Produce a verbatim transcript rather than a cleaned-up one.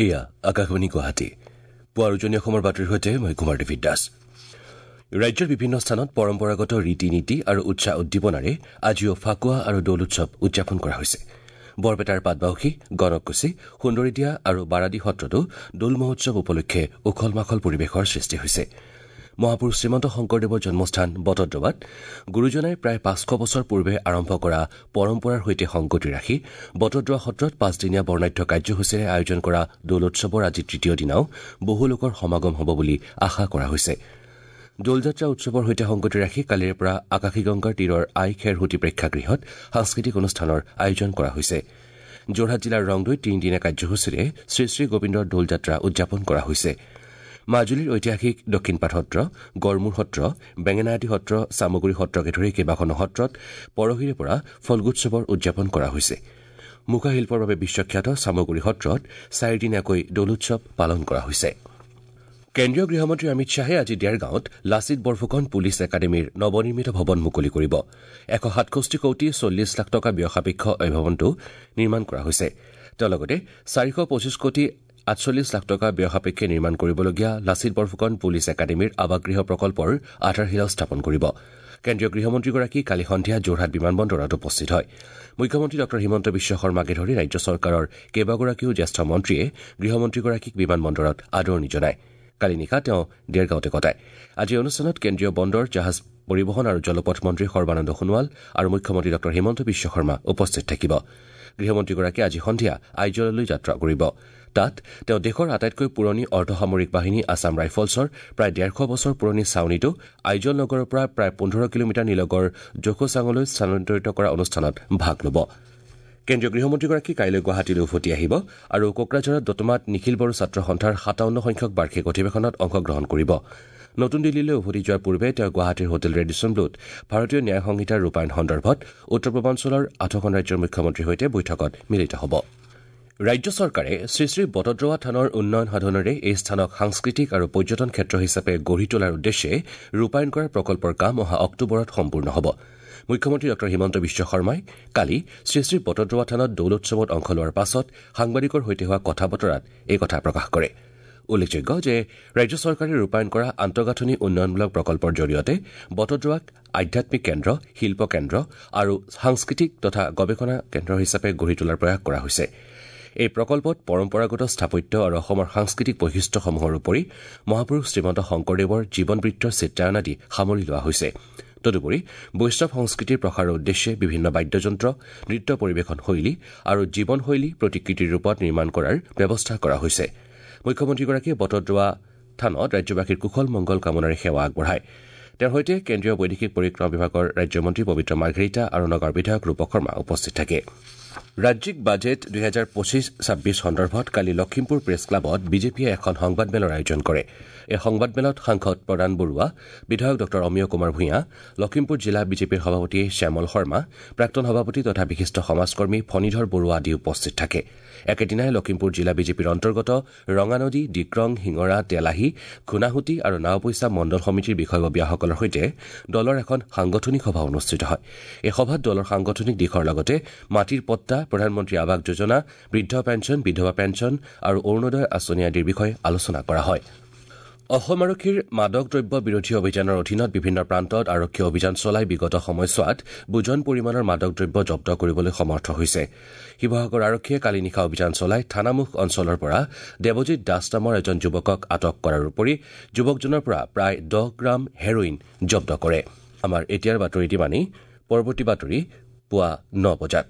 এয়া আকাশবাণী গুৱাহাটী। পুৱাৰ উজনি অসমৰ বাতৰিৰ সৈতে মই কুমাৰ ডেভিড দাস। ৰাজ্যৰ বিভিন্ন স্থানত পৰম্পৰাগত ৰীতি নীতি আৰু উৎসাহ উদ্দীপনাৰে আজিও ফাকুৱা আৰু দৌল উৎসৱ উদযাপন কৰা হৈছে। বৰপেটাৰ পাটবাউসী, গণককুছি, সুন্দৰীদিয়া আৰু বাৰাদি সত্ৰতো দৌল মহোৎসৱ উপলক্ষে উখল মাখল পৰিৱেশৰ সৃষ্টি হৈছে। মহাপুৰুষ শ্ৰীমন্ত শংকৰদেৱৰ জন্মস্থান বটদ্ৰৱাত গুৰুজনাই প্ৰায় পাঁচশ বছৰ পূৰ্বে আৰম্ভ কৰা পৰম্পৰাৰ সৈতে সংগতি ৰাখি বটদ্ৰৱা সত্ৰত পাঁচদিনীয়া বৰ্ণাঢ্য কাৰ্যসূচীৰে আয়োজন কৰা দৌলোৎসৱৰ আজি তৃতীয় দিনাও বহু লোকৰ সমাগম হ'ব বুলি আশা কৰা হৈছে। দৌলযাত্ৰা উৎসৱৰ সৈতে সংগতি ৰাখি কালিৰে পৰা আকাশীগংগাৰ তীৰৰ আই খেৰসূতী প্ৰেক্ষাগৃহত সাংস্কৃতিক অনুষ্ঠানৰ আয়োজন কৰা হৈছে। যোৰহাট জিলাৰ ৰংদৈত তিনিদিনীয়া কাৰ্যসূচীৰে শ্ৰীশ্ৰী গোবিন্দৰ দৌলযাত্ৰা উদযাপন কৰা হৈছে। মাজুলীৰ ঐতিহাসিক দক্ষিণপাট সত্ৰ, গড়মূৰ সত্ৰ, বেঙেনাআটী সত্ৰ, চামগুৰি সত্ৰকে ধৰি কেইবাখনো সত্ৰত পৰহিৰে পৰা ফল্গুৎসৱৰ উদযাপন কৰা হৈছে। মুখাশিল্পৰ বাবে বিশ্বখ্যাত চামগুৰি সত্ৰত চাৰিদিনীয়াকৈ দৌলোৎসৱ পালন কৰা হৈছে। কেন্দ্ৰীয় গৃহমন্ত্ৰী অমিত শ্বাহে আজি দেৰগাঁৱত লাচিত বৰফুকন পুলিচ একাডেমীৰ নৱনিৰ্মিত ভৱন মুকলি কৰিব। এশ সাতষষ্ঠি কোটি চল্লিছ লাখ টকা ব্যয় সাপেক্ষ এই ভৱনটো নিৰ্মাণ কৰা হৈছে। তেওঁ লগতে চাৰিশ পঁচিছ কোটি আঠচল্লিছ লাখ টকা ব্যয় সাপেক্ষে নিৰ্মাণ কৰিবলগীয়া লাচিত বৰফুকন পুলিচ একাডেমীৰ আৱাসগৃহ প্ৰকল্পৰ আধাৰশিলাও স্থাপন কৰিব। কেন্দ্ৰীয় গৃহমন্ত্ৰীগৰাকী কালি সন্ধিয়া যোৰহাট বিমানবন্দৰত উপস্থিত হয়। মুখ্যমন্ত্ৰী ডঃ হিমন্ত বিশ্ব শৰ্মাকে ধৰি ৰাজ্য চৰকাৰৰ কেইবাগৰাকীও জ্যেষ্ঠ মন্ত্ৰীয়ে গৃহমন্ত্ৰীগৰাকীক বিমানবন্দৰত আদৰণি জনায়। কালি নিশা তেওঁ দেৰগাঁৱতে কটায়। আজিৰ অনুষ্ঠানত কেন্দ্ৰীয় বন্দৰ, জাহাজ পৰিবহণ আৰু জলপথ মন্ত্ৰী সৰ্বানন্দ সোণোৱাল আৰু মুখ্যমন্ত্ৰী ডঃ হিমন্ত বিশ্ব শৰ্মা উপস্থিত থাকিব। গৃহমন্ত্ৰীগৰাকীয়ে আজি সন্ধিয়া আইজললৈ যাত্ৰা কৰিব। তাত তেওঁ দেশৰ আটাইতকৈ পুৰণি অৰ্ধসামৰিক বাহিনী আছাম ৰাইফলছৰ প্ৰায় ডেৰশ বছৰ পুৰণি ছাউনীটো আইজল নগৰৰ পৰা প্ৰায় পোন্ধৰ কিলোমিটাৰ নিলগৰ জোখোচাঙলৈ স্থানান্তৰিত কৰা অনুষ্ঠানত ভাগ ল'ব। কেন্দ্ৰীয় গৃহমন্ত্ৰীগৰাকী কাইলৈ গুৱাহাটীলৈ উভতি আহিব আৰু কোকৰাঝাৰত দতমাত নিখিল বড়ো ছাত্ৰ সন্থাৰ সাতাৱন্ন সংখ্যক বাৰ্ষিক অধিৱেশনত অংশগ্ৰহণ কৰিব। নতুন দিল্লীলৈ উভতি যোৱাৰ পূৰ্বে তেওঁ গুৱাহাটীৰ হোটেল ৰেডিছন ব্লুত ভাৰতীয় ন্যায় সংহিতাৰ ৰূপায়ণ সন্দৰ্ভত উত্তৰ পূৰ্বাঞ্চলৰ আঠখন ৰাজ্যৰ মুখ্যমন্ত্ৰীৰ সৈতে বৈঠকত মিলিত হ'ব। ৰাজ্য চৰকাৰে শ্ৰীশ্ৰী বটদ্ৰৱা থানৰ উন্নয়ন সাধনেৰে এই স্থানক সাংস্কৃতিক আৰু পৰ্যটন ক্ষেত্ৰ হিচাপে গঢ়ি তোলাৰ উদ্দেশ্যে ৰূপায়ণ কৰা প্ৰকল্পৰ কাম অহা অক্টোবৰত সম্পূৰ্ণ হ'ব। মুখ্যমন্ত্ৰী ডঃ হিমন্ত বিশ্ব শৰ্মাই কালি শ্ৰীশ্ৰী বটদ্ৰৱা থানত দৌলোৎসৱত অংশ লোৱাৰ পাছত সাংবাদিকৰ সৈতে হোৱা কথা বতৰাত এই কথা প্ৰকাশ কৰে। উল্লেখযোগ্য যে ৰাজ্য চৰকাৰে ৰূপায়ণ কৰা আন্তঃগাঁথনি উন্নয়নমূলক প্ৰকল্পৰ জৰিয়তে বটদ্ৰৱাক আধ্যাত্মিক কেন্দ্ৰ, শিল্প কেন্দ্ৰ আৰু সাংস্কৃতিক তথা গৱেষণা কেন্দ্ৰ হিচাপে গঢ়ি তোলাৰ প্ৰয়াস কৰা হৈছে। এই প্ৰকল্পত পৰম্পৰাগত স্থাপত্য আৰু অসমৰ সাংস্কৃতিক বৈশিষ্ট্যসমূহৰ উপৰি মহাপুৰুষ শ্ৰীমন্ত শংকৰদেৱৰ জীৱনবৃত্তৰ চিত্ৰায়ন আদি সামৰি লোৱা হৈছে। তদুপৰি বৈষ্ণৱ সংস্কৃতিৰ প্ৰসাৰৰ উদ্দেশ্যে বিভিন্ন বাদ্যযন্ত্ৰ, নৃত্য পৰিৱেশন শৈলী আৰু জীৱনশৈলী প্ৰতিকৃতিৰ ৰূপত নিৰ্মাণ কৰাৰ ব্যৱস্থা কৰা হৈছে। মুখ্যমন্ত্ৰীগৰাকীয়ে বটদ্ৰৱা থানত ৰাজ্যবাসীৰ কুশল মংগল কামনাৰে সেৱা আগবঢ়ায়। তেওঁৰ সৈতে কেন্দ্ৰীয় বৈদেশিক পৰিক্ৰমা বিভাগৰ ৰাজ্যমন্ত্ৰী পবিত্ৰ মাৰ্ঘেৰিটা আৰু নগাঁৱৰ বিধায়ক ৰূপক শৰ্মা উপস্থিত থাকে। ৰাজ্যিক বাজেট দুহেজাৰ পঁচিছ ছাব্বিছ সন্দৰ্ভত কালি লখিমপুৰ প্ৰেছ ক্লাবত বিজেপিয়ে এখন সংবাদমেলৰ আয়োজন কৰে। এই সংবাদমেলত সাংসদ প্ৰদান বৰুৱা, বিধায়ক ডঃ অমিয় কুমাৰ ভূঞা, লখিমপুৰ জিলা বিজেপিৰ সভাপতি শ্যামল শৰ্মা, প্ৰাক্তন সভাপতি তথা বিশিষ্ট সমাজকৰ্মী ফণীধৰ বৰুৱা আদি উপস্থিত থাকে। একেদিনাই লখিমপুৰ জিলা বিজেপিৰ অন্তৰ্গত ৰঙানদী, ডিক্ৰং, শিঙৰা, তেলাহী, ঘূনাসুঁতি আৰু নাওবৈচা মণ্ডল সমিতিৰ বিষয়ববীয়াসকলৰ সৈতে দলৰ এখন সাংগঠনিক সভা অনুষ্ঠিত হয়। এই সভাত দলৰ সাংগঠনিক দিশৰ লগতে মাটিৰ পট্টা, প্ৰধানমন্ত্ৰী আৱাস যোজনা, বৃদ্ধ পেঞ্চন, বিধৱা পেঞ্চন আৰু অৰুণোদয় আঁচনি আদিৰ বিষয়ে আলোচনা কৰা হয়। অসম আৰক্ষীৰ মাদক দ্ৰব্য বিৰোধী অভিযানৰ অধীনত বিভিন্ন প্ৰান্তত আৰক্ষী অভিযান চলাই বিগত সময়ছোৱাত বুজন পৰিমাণৰ মাদক দ্ৰব্য জব্দ কৰিবলৈ সমৰ্থ হৈছে। শিৱসাগৰ আৰক্ষীয়ে কালি নিশা অভিযান চলাই থানামুখ অঞ্চলৰ পৰা দেৱজিৎ দাস নামৰ এজন যুৱকক আটক কৰাৰ উপৰি যুৱকজনৰ পৰা প্ৰায় দহ গ্ৰাম হেৰইন জব্দ কৰে। আমাৰ এতিয়াৰ বাতৰি ইমানেই। পৰৱৰ্তী বাতৰি পুৱা ন বজাত।